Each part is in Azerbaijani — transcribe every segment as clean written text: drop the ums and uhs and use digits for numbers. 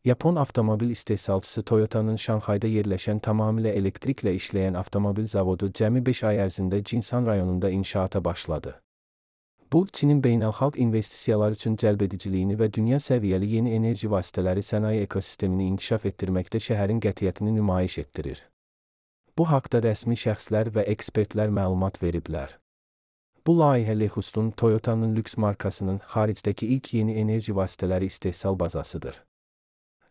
Yapon avtomobil istehsalçısı Toyota'nın Şanxayda yerləşən tamamilə elektriklə işləyən avtomobil zavodu cəmi 5 ay ərzində Jinsan rayonunda inşaata başladı. Bu, Çinin beynəlxalq investisiyalar üçün cəlbediciliyini və dünya səviyyəli yeni enerji vasitələri sənaye ekosistemini inkişaf etdirməkdə şəhərin qətiyyətini nümayiş etdirir. Bu haqda rəsmi şəxslər və ekspertlər məlumat veriblər. Bu layihə Lexus'un Toyota'nın lüks markasının xaricdəki ilk yeni enerji vasitələri istehsal bazasıdır.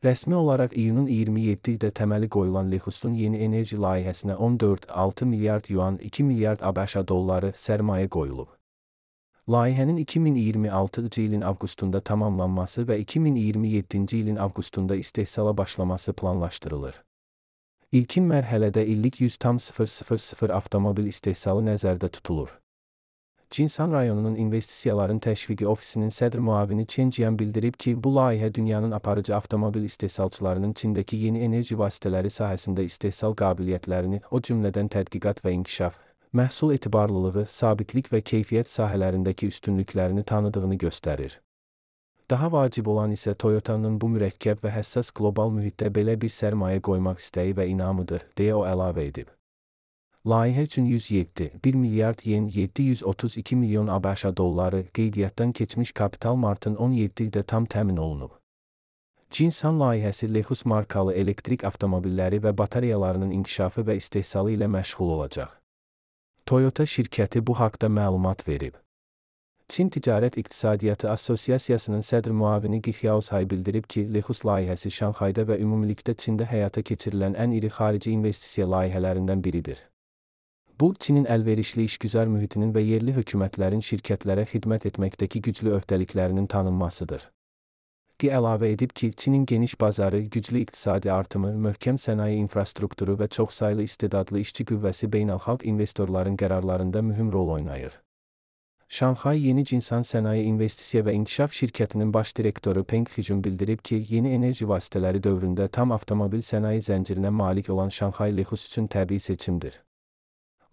Rəsmi olaraq iyunun 27-də təməli qoyulan Lexus'un yeni enerji layihəsinə 14,6 milyard yuan, 2 milyard ABŞ dolları sərmayə qoyulub. Layihənin 2026-cı ilin avqustunda tamamlanması və 2027-ci ilin avqustunda istehsala başlaması planlaşdırılır. İlkin mərhələdə illik 100,000 avtomobil istehsalı nəzərdə tutulur. Jinsan rayonunun investisiyaların təşviqi ofisinin sədr müavini Chen Jian bildirib ki, bu layihə dünyanın aparıcı avtomobil istehsalçılarının Çindəki yeni enerji vasitələri sahəsində istehsal qabiliyyətlərini, o cümlədən tədqiqat və inkişaf, məhsul etibarlılığı, sabitlik və keyfiyyət sahələrindəki üstünlüklərini tanıdığını göstərir. Daha vacib olan isə Toyota'nın bu mürəkkəb və həssas qlobal mühitdə belə bir sərmayə qoymaq istəyi və inamıdır, deyə o əlavə edib. Layihə üçün 1 milyard yen, 732 milyon ABŞ dolları qeydiyyatdan keçmiş kapital martın 17-də tam təmin olunub. Jinsan layihəsi Lexus markalı elektrik avtomobilləri və batareyalarının inkişafı və istehsalı ilə məşğul olacaq. Toyota şirkəti bu haqda məlumat verib. Çin Ticarət İqtisadiyyatı Assosiasiyasının sədr müavini Qi Xiaoshay bildirib ki, Lexus layihəsi Şanxayda və ümumilikdə Çində həyata keçirilən ən iri xarici investisiya layihələrindən biridir. Bu, Çinin əlverişli işgüzar mühitinin və yerli hökumətlərin şirkətlərə xidmət etməkdəki güclü öhdəliklərinin tanınmasıdır. Qi əlavə edib ki, Çinin geniş bazarı, güclü iqtisadi artımı, möhkəm sənaye infrastrukturu və çoxsaylı istedadlı işçi qüvvəsi beynəlxalq investorların qərarlarında mühüm rol oynayır. Şanxay Yeni Jinsan Sənaye İnvestisiya və İnkişaf Şirkətinin baş direktoru Peng Xijun bildirib ki, yeni enerji vasitələri dövründə tam avtomobil sənaye zəncirinə malik olan Şanxay Lexus üçün təbii seçimdir.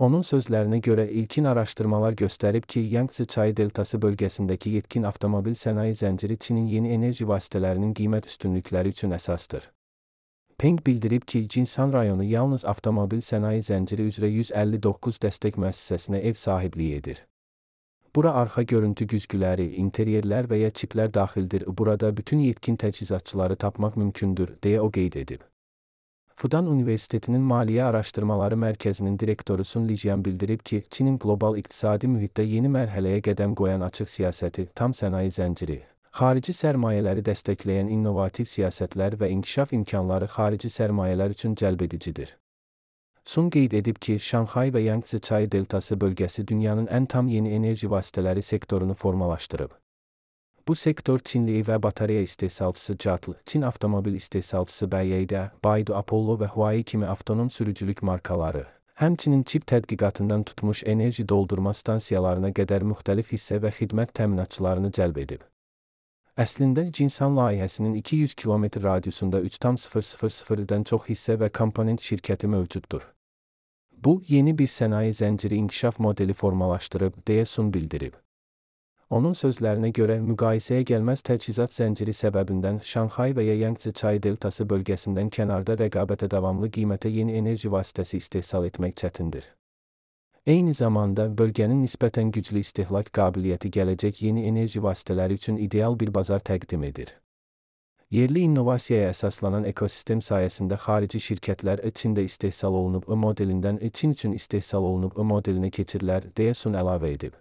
Onun sözlərinə görə ilkin araşdırmalar göstərib ki, Yangtze çayı deltası bölgəsindəki yetkin avtomobil sənaye zənciri Çinin yeni enerji vasitələrinin qiymət üstünlükləri üçün əsasdır. Peng bildirib ki, Jinsan rayonu yalnız avtomobil sənaye zənciri üzrə 159 dəstək müəssisəsinə ev sahibliyi edir. Bura arxa görüntü güzgüləri, interyerlər və ya çiplər daxildir. Burada bütün yetkin təchizatçıları tapmaq mümkündür, deyə o qeyd edib. Fudan Universitetinin Maliyyə Araşdırmaları Mərkəzinin direktoru Sun Lijian bildirib ki, Çinin qlobal iqtisadi mühitdə yeni mərhələyə qədəm qoyan açıq siyasəti, tam sənaye zənciri, xarici sərmayələri dəstəkləyən innovativ siyasətlər və inkişaf imkanları xarici sərmayələr üçün cəlbedicidir. Sun qeyd edib ki, Şanxay və Yangtze çayı deltası bölgəsi dünyanın ən tam yeni enerji vasitələri sektorunu formalaşdırıb. Bu sektor Çinli və batareya istehsalçısı CATL, Çin avtomobil istehsalçısı BYD, Baidu, Apollo və Huawei kimi avtonom sürücülük markaları, həmçinin çip tədqiqatından tutmuş enerji doldurma stansiyalarına qədər müxtəlif hissə və xidmət təminatçılarını cəlb edib. Əslində, Jinsan layihəsinin 200 km radiusunda 3,000-dən çox hissə və komponent şirkəti mövcuddur. Bu, yeni bir sənaye zənciri inkişaf modeli formalaşdırıb, deyə Sun bildirib. Onun sözlərinə görə, müqayisəyə gəlməz təchizat zənciri səbəbindən Şanxay və ya Yangtze çayı deltası bölgəsindən kənarda rəqabətə davamlı qiymətə yeni enerji vasitəsi istehsal etmək çətindir. Eyni zamanda, bölgənin nisbətən güclü istehlak qabiliyyəti gələcək yeni enerji vasitələri üçün ideal bir bazar təqdim edir. Yerli innovasiyaya əsaslanan ekosistem sayəsində xarici şirkətlər Çində istehsal olunub modelindən Çin üçün istehsal olunub modelinə keçirlər, deyə Sun əlavə edib.